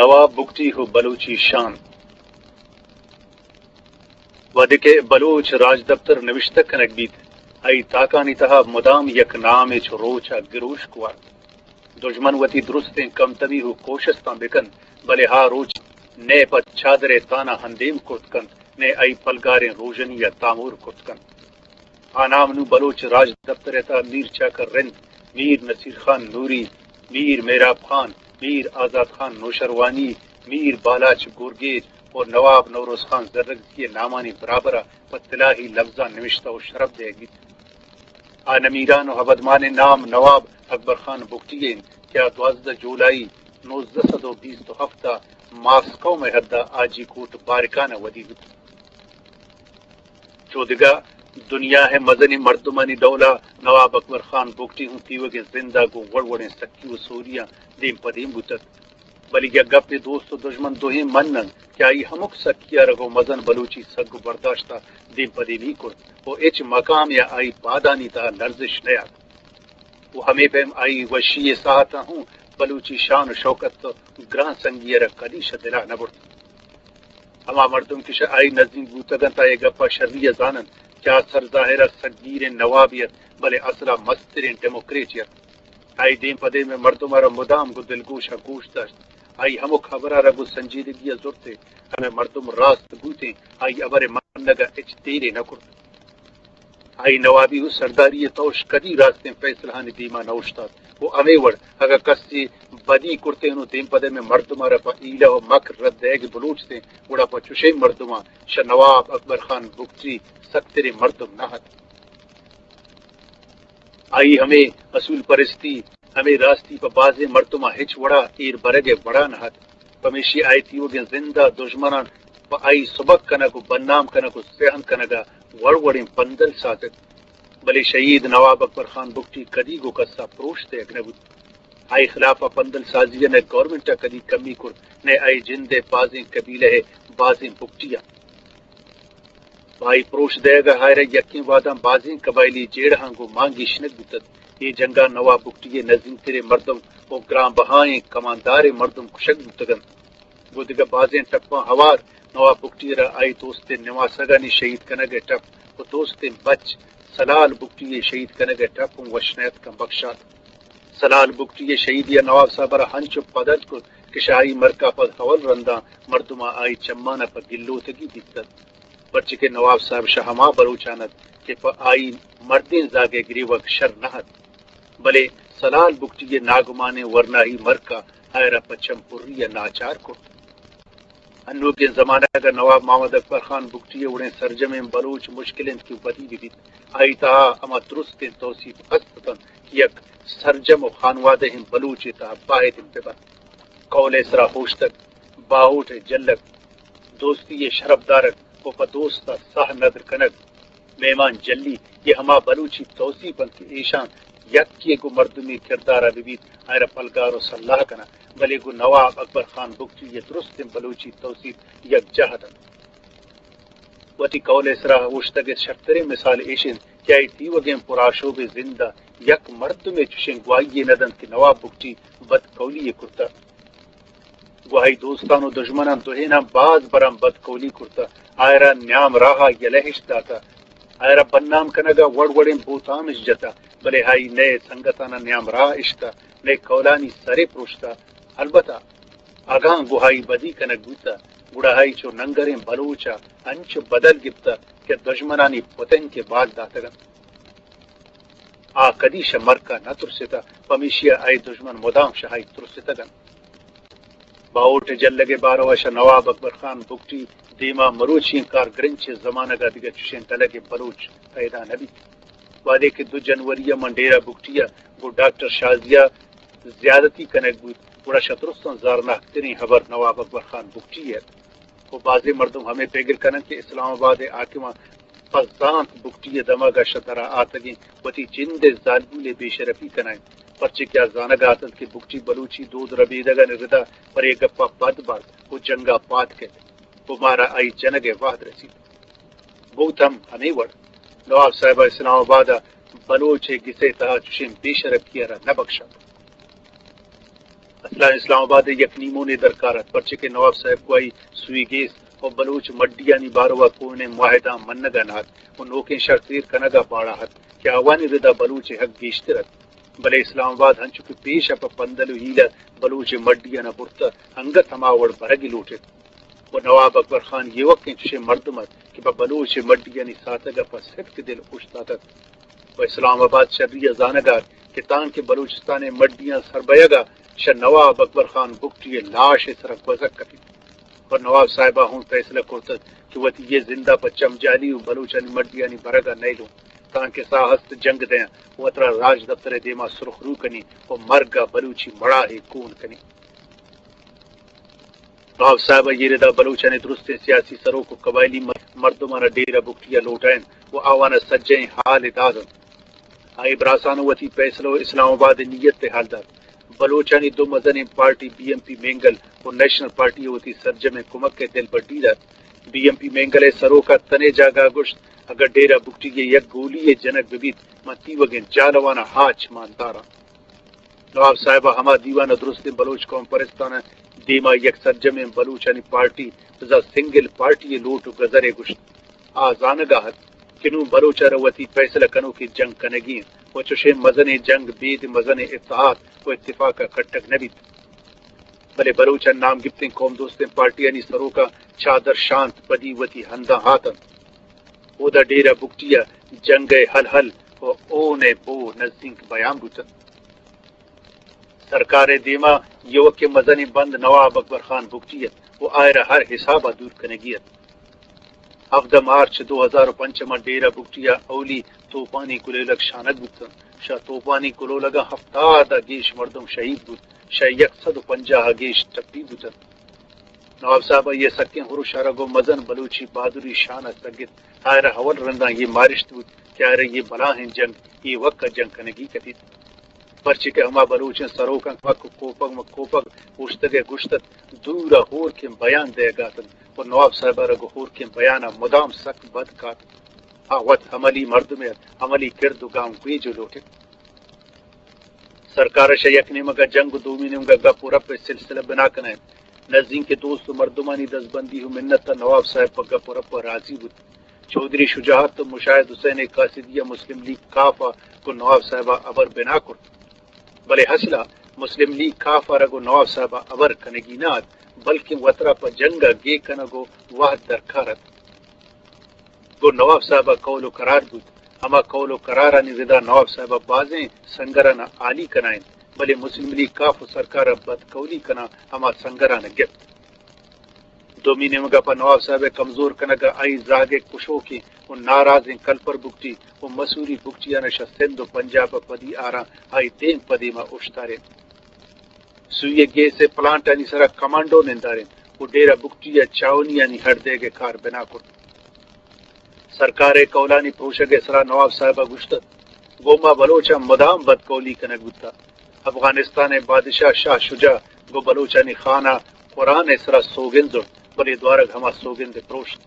نواب بگٹی ءُ بلوچی شان۔ وھدے کہ بلوچ راجدپتر نبشتہ کنگ بیت، آئی تاکانی تہا مدام یک نامے چو روچ ءَ گروشک وارت۔ دژمن وتی درستیں کمتبی ءُ کوشستاں بکنت، بلے آ روچ نئے پہ چادرے تانا ہندیم کرت کنت، نئے آئی پلگاریں روژنی ءَ تامور کرت کنت۔ آ نام نوں بلوچ راجدپتر ءِ تہا میر چاکر رند، میر نصیر خان نوری، میر مہراب خان، میر آزات خان نوشروانی، میر بالاچ گورگیج ءُ نواب نوروز خان زرگزی ءِ نامانی برابر ءَ پہ تلاہی لبزاں نبشتہ ءُ شرپ دئیگ بیت۔ آ نمیران ءُ ابدمانیں نام نواب اکبر خان بگٹی ءِ انت کہ آ دوازدہ جولائی نوزدہ سد ءُ بیست ءُ ہفت ءَ ماسکو ءِ حد ءَ حاجی کوٹ بارکان ءَ ودی بوت۔ چو دگہ دنیا ءِ مزنیں مردمانی ڈول ءَ نواب اکبر خان بگٹی ہوں تیوگیں زند ءَ گوں وڑ وڑیں سکی ءُ سوریاں دیم پہ دیم بوتگ۔ بلے یک گپے دوست ءُ دژمن دوئیں من انت کہ آئی ہمک سکی ءَ را گوں مزن بلوچی سگ ءُ برداشت ءَ دیم پہ دیمی کرت ءُ ہچ مقامے ءَ آئی پادانی تہا لرزش نیات۔ ءُ ہمے پیم آئی وشی ءِ ساعتاں ہوں بلوچی شان ءُ شوکت ءُ گران سنگی ءَ را کدی شہ دل ءَ نہ برت۔ ہما مردم کہ شہ آئی نزیک بوتگ انت، آ اے گپ ءَ شری ءَ زان انت کہ آ سرظاہر ءَ سگگیریں نوابے ات، بلے اصل ءَ مستریں ڈیموکریٹے ات۔ آئی دیم پہ دیم ءِ مردم ءَ را مدام گوں دلگوش ءَ گوش داشت۔ آئی ہمک ہبر ءَ را گوں سنجیدگی ءَ زرت ءُ ہمے مردم راست بوتیں، آئی ہبر ءِ منگ ءَ ہچ دیرے نہ کرت۔ آئی نوابی ءُ سرداری ءِ توش کدی راستیں فیصلہانی دیما نہ اوشتات ءُ ہمے وڑ اگاں کسے بدی کرتیں ءُ دیم پہ دیم ءِ مردم ءَ را پہ حیلہ ءُ مکر رد دئیگ ءِ بلوچتیں، گڑا پہ چشیں مردماں شہ نواب اکبر خان بگٹی سکتریں مردم نہ ات۔ آئی ہمے اصول پرستی، ہمے راستی پہ بازیں مردماں ہچ وڑا ایر برگ ءِ وڑا نہ ات۔ پمیشی آئی تیوگیں زند ءَ دژمناں پہ آئی سبک کنگ ءُ بدنام کنگ ءُ سیاہن کنگ ءَ وڑ وڑیں پندل سازت۔ بلے شہید نواب اکبر خان بگٹی کدی گوں کس ءَ پروش دئیگ نہ بوت۔ آئی خلاف ءَ پندل سازی ءَ نہ گورنمنٹ ءَ کدی کمی کرت، نہ آئی جند ءِ بازیں قبیلہ ءِ بازیں بگٹیاں۔ پہ آئی پروش دئیگ ءَ آئرا یکیں وہداں بازیں قبائلی جیڑہاں گوں مان گیشینگ بوتگ۔ اے جنگ ءَ نواب بگٹی ءِ نزینتریں مردم ءُ گران بہائیں کمانداریں مردم کشگ بوتگ انت۔ گوں دگہ بازیں ٹپاں ہوار نواب بگٹی ءَ را آئی دوستیں نماسگانی شہید کنگ ءِ ٹپ ءُ دوستیں بچ سلال بگٹی ءِ شہید کنگ ءِ ٹپ اوں وش نیاتکاں بکشات۔ سلال بگٹی ءِ شہیدی ءَ نواب صاحب ءَ را ہنچو پدل کت کہ شہ آئی مرک ءَ پد اول رنداں مردماں آئی چماں پہ گلوتگی دیتگ، پرچے کہ نواب صاحب شہ ہما بلوچان ات کہ پہ آئی مردیں زاگ ءِ گریوگ شر نہ ات، بلے سلال بگٹی ءِ ناگمانیں ورناہی مرک ءَ آئرا پہ چم پری ءَ ناچار کرت۔ انوگیں زمانگ ءَ نواب محمد اکبر خان بگٹی ءِ وڑیں سرجمیں بلوچ مشکل انت کہ ودی بہ بیت۔ آئی تہا ہما درستیں توسیپ ہست اتنت کہ یک سرجم ءُ خانوادہیں بلوچے تہا باید انت بہ بنت۔ قول ءِ سرا ہوشتگ، باہوٹ ءِ جلگ، دوستی ءِ شرپ دارگ ءُ پہ دوست ءَ ساہ ندر کنگ، مہمان جلی، اے ہما بلوچی توسیپ انت کہ ایشاں یکے گوں مردمی کردار ءَ بہ بیت، آئرا پلگار ءُ سلاہ کناں، بلے گوں نواب اکبر خان بگٹی ءِ درستیں بلوچی توسیپ یکجاہ اتنت۔ وتی قول ءِ سرا اوشتگ ءِ شرتریں مثال ایش انت کہ آئی تیوگیں پرآشوبیں زند ءَ یک مردمے چشیں گواہی یے نہ دنت کہ نواب بگٹی بدقولی یے کرتہ۔ گوں آئی دوستاں ءُ دژمناں دوئیناں باز براں بدقولی کرتہ، آئرا نیام راہ ءَ یلہ اش داتہ، آئرا بدنام کنگ ءَ وڑ وڑیں بہتام اش جتہ، بلے آئی نئے سنگتاناں نیام راہ اشتہ، نئے قولانی سرے پروشتہ۔ البتہ اگاں گوں آئی بدی کنگ بوتہ، گڑا آئی چو ننگریں بلوچ ءَ انچو بدل گپتہ کہ دژمنانی پتنگ ءَ بال داتگ انت۔ آ کدی شہ مرک ءَ نہ ترستہ، پمیشی ءَ آئی دژمن مدام شہ آئی ترستگ انت۔ باہوٹ ءِ جلگ ءِ بارو ءَ شہ نواب اکبر خان بگٹی دیما مروچی ئیں کارگرنچ ءِ زمانگ ءَ دگہ چشیں ڈلگے بلوچ پیدا نہ بیت۔ وہدے کہ دو جنوری ءَ من ڈیرہ بگٹی ءَ گوں ڈاکٹر شازیہ زیادتی کنگ بوت، گڑا شہ درستاں زرناکتریں ہبر نواب اکبر خان بگٹی ءِ ات۔ ءُ بازیں مردم ہمے پگر کننت کہ اسلام آباد ءِ حاکماں پہ زانت بگٹی ءِ دمگ ءَ شہ درا آتگیں وتی جند ءِ زالبول ءِ بے شرپی کنائینت، پرچے کہ آ زانگ ءَ اتنت کہ بگٹی بلوچی دود ربیدگانی ردا پر اے گپ ءَ پد بارت ءُ جنگ ءَ پاد کیت ءُ مارا آئی جنگ ءِ وہد رسیت۔ بوت ہم ہمے وڑ، نواب صاحب ءَ اسلام آباد ءَ بلوچ ءِ گس ءِ تہا چشیں بے شرپی ءَ را نہ بکشات۔ اصلاً اسلام آباد ءَ یک نیمونے درکار اَت، پرچے کہ نواب صاحب گواہی سوئی گیس ءُ بلوچ مڈیانی باروا کوہنیں معاہداں منگ ءَ نہ اَت ءُ نوکیں شرط ایر کنگ ءَ پاڑا اَت کہ آوانی ردا بلوچ ءِ حق گیشتر اَت۔ بلے اسلام آباد انچو کہ پیش ءَ پہ پندل ءُ ہیل ءَ بلوچ ءِ مڈیاناں برتہ، انگت ہما وڑ برگ ءَ لوٹ اِت۔ ءُ نواب اکبر خان ایوکیں چشیں مردم اَت کہ پہ بلوچ ءِ مڈیانی ساتگ ءَ پہ ستک دل اوشتاتگ۔ ءُ اسلام آباد شری ءَ زانگ ءَ اَت کہ تانکہ بلوچستان ءِ مڈیاں سر بئیگ ءَ شہ نواب اکبر خان بگٹی ءِ لاش ءِ سرا گوزگ کپیت۔ ءُ نواب صاحب ءَ ہوں فیصلہ کرتگ کہ وتی اے زند ءَ پہ چمجالی ءُ بلوچانی مڈیانی برگ ءَ نئیلوں، تانکہ ساہ ہست جنگ دیاں ءُ وترا راجدپتر ءِ دیما سرخ رو کنی ءُ مرگ ءَ بلوچی مڑاہے کون کنی۔ نواب صاحب ءَ اے ردا بلوچانی درستیں سیاسی سروک ءُ قبائلی مر-، مردماناں ڈیرہ بگٹی ءَ لوٹائینت ءُ آواناں سجہیں ہال ءَ دات اَنت۔ آئی ءَ براسان ءَ وتی پیسلہ ءُ اسلام آباد ءِ نیت ءِ ہال دات۔ بلوچانی دو مزنیں پارٹی بی ایم پی مینگل ءُ نیشنل پارٹی ءَ وتی سرجمیں کمک ءِ دلبڈی دات۔ بی ایم پی مینگل ءِ سروک ءَ تنے جاگہ ءَ گوشت، اگاں ڈیرہ بگٹی ءَ یک گولی یے جنگ بہ بیت، من تیوگیں جہلاواناں ہاچ مان داراں۔ نواب صاحب ءَ ہما دیوان ءَ درستیں بلوچ قوم پرستاناں دیما یک سرجمیں بلوچانی پارٹی، بزاں سنگل پارٹی ءِ لوٹ ءُ گزر ءَ گوشت۔ آ زانگ ءَ اَت کہ نوں بلوچ ءَ را وتی پیسلہ کنوکیں جنگ کنگی اِنت ءُ چشیں مزنیں جنگ بید مزنیں اتحاد ءُ اتفاق ءَ کٹگ نہ بیت۔ بلے بلوچ ءِ نام گپتیں قوم دوستیں پارٹیانی سروکاں چادر شانت پدی وتی ہنداں ہات اَنت۔ اودا ڈیرہ بگٹی ءَ جنگ ءِ ہل ہل ءُ اون ءِ بو نزینک بیان بوت اَنت۔ سرکار ءِ دیما ایوکیں مزنیں بند نواب اکبر خان بگٹی اَت ءُ آئرا ہر حساب ءَ دور کنگی اَت۔ ہفدہ مارچ دو ہزار ءُ پنچ ءَ ماں ڈیرہ بگٹی ءَ اولی توپانی کلولگ شانگ بوت اَنت۔ شہ توپانی کلولگاں ہفتاد ءَ گیش مردم شہید بوت، شہ یک سد ءُ پنجاہ ءَ گیش ٹپی بوت اَنت۔ نواب صاحب ءَ اے سکیں ہرش ءَ را گوں مزن بلوچی بہادری شان ءَ سگت۔ آئرا اول رندا اے مارشت بوت کہ آئرا اے بلاہیں جنگ ایوک ءَ جنگ کنگی کپیت۔ پرچے کہ ہما بلوچیں سروکاں کمک ءُ کوپگ مہ کوپگ اوشتگ ءَ گوشت اَت، دور ءَ ہورکیں بیان دئیگ ءَ اَت اَنت ءُ نواب صاحب ءَ را گوں ہورکیں بیان ءَ مدام سک بد کات۔ آ وت عملی مردمے اَت، عملی کرد ءُ گامگیج ءَ لوٹ اِت۔ سرکار ءَ شہ یک نیمگ ءَ جنگ ءُ دومی نیمگ ءَ گپ ءُ رپ ءِ سلسلہ بنا کنائینت۔ نزینکیں دوست ءُ مردمانی دزبندی ءُ منت ءَ نواب صاحب پہ گپ ءُ رپ ءَ راضی بوت۔ چوہدری شجاعت ءُ مشاہد حسین قاصدی ءَ مسلم لیگ کاف ءَ گوں نواب صاحب ءَ ہبر بنا کرت۔ بلے اصل ءَ مسلم لیگ کاف ءَ را گوں نواب صاحب ءَ ہبر کنگی نہ اَت، بلکیں وترا پہ جنگ ءَ گیگ کنگ ءُ وہد درکار اَت۔ گوں نواب صاحب ءَ قول ءُ قرار بوت۔ ہما قول ءُ قرارانی ردا نواب صاحب ءَ بازیں سنگراناں ہالی کنائینت، بلے مسلم لیگ کاف ءُ سرکار ءَ بدقولی کنان ہما سنگران ءَ گپت۔ دومی نیمگ ءَ پہ نواب صاحب ءِ کمزور کنگ ءَ آئی زہگ ءِ کشوکیں ءُ نارازیں کلپر بگٹی ءُ مسوری بگٹیان ءَ شہ سندھ ءُ پنجاب ءَ پدی آران آئی دیم پہ دیم ءَ اوشتارینت۔ سوئی ءِ گیس ءِ پلانٹانی سرا کمانڈو نندارینت ءُ ڈیرہ بگٹی ءَ چاہونیانی ہڈ دئیگ ءِ کار بنا کرت۔ سرکار ءِ قولانی پروشگ ءِ سرا نواب صاحب ءَ گوشت اَت، گوں ما بلوچاں مدام بدقولی کنگ بوتگ۔ افغانستان ءِ بادشاہ شاہ شجاع گوں بلوچانی خان ءَ قرآن ءِ سرا سوگند زرت، بلے دوارگ ہما سوگند ءَ پروشت۔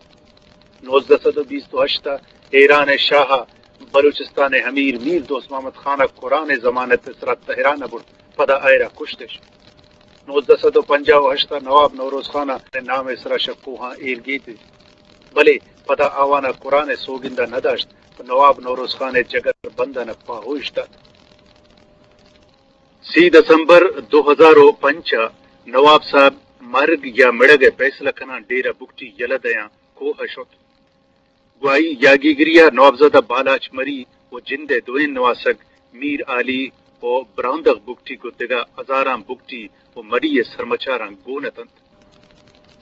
نوزدہ سد ءُ بیست ءُ ہشت ءَ ایران ءِ شاہ ءَ بلوچستان ءِ امیر میر دوست محمد خان ءَ قرآن ءِ ضمانت ءِ سرا تہران ءَ برت، پدا آئرا کشتش۔ نوزدہ سد ءُ پنجاہ ءُ ہشت ءَ نواب نوروز خان ءِ نام ءِ سرا شہ کوہاں ایر گیتش، بلے پدا آوان ءَ قرآن ءِ سوگند ءَ نہ داشت ءُ نواب نوروز خان ءِ جگر بندان ءَ پاہوش دات۔ سی دسمبر دو ہزار ءُ پنچ ءَ نواب صاحب مرگ یا مڑگ ءِ پیسلہ کنان ڈیرہ بگٹی یلہ دیان کوہ ءَ شت۔ گواہی یاگیگری ءَ نوابزادہ بالاچ مری ءُ جند ءِ دوئیں نواسگ میر عالی ءُ براندغ بگٹی گوں دگہ ہزاراں بگٹی ءُ مری ءِ سرمچاراں گون اتنت۔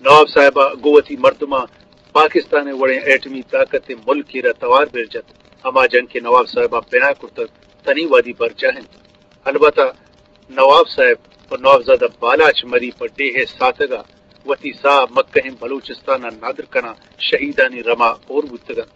نواب صاحب ءَ گوں وتی مردماں پاکستان ءِ وڑیں ایٹمی طاقت ءِ ملکے را توار بر جت۔ ہما جنگ کہ نواب صاحب ءَ بنا کرتگ، تنی وہدی برجاہ انت۔ البتہ نواب صاحب ءُ نوابزادہ بالاچ مری پہ ڈیھ ءِ ساتگ ءَ وتی ساہ مکہیں بلوچستان ءَ ندر کنان شہیدانی رم ءَ ہور بوتگ انت۔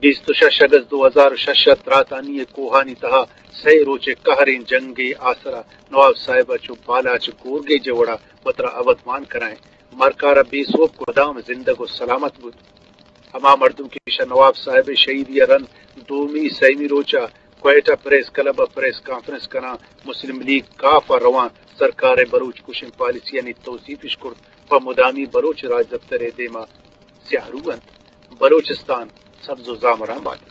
بیست ءُ شش اگست دو ہزار ءُ شش ءَ تراتانی ءِ کوہانی تہا سئے روچے قہریں جنگ ءِ آسرا نواب صاحب ءَ چو بالاچ گورگیج ءِ وڑا وترا ابدمان کنائیں مرکار ءَ بے سوب کدام زندگ ءُ سلامت بوت۔ ہما مردم کہ شہ نواب صاحب ءِ شہیدی ءَ رند دومی سیمی روچ ءَ کوئٹہ پریس کلب ءَ پریس کانفرنس کنان مسلم لیگ کاف ءَ روان سرکار ءِ بلوچ کشیں پالیسیانی توصیف اش کرت، پہ مدامی بلوچ راجدپتر ءِ دیما سیاہ رو انت، بلوچستان سبز و زامران بات۔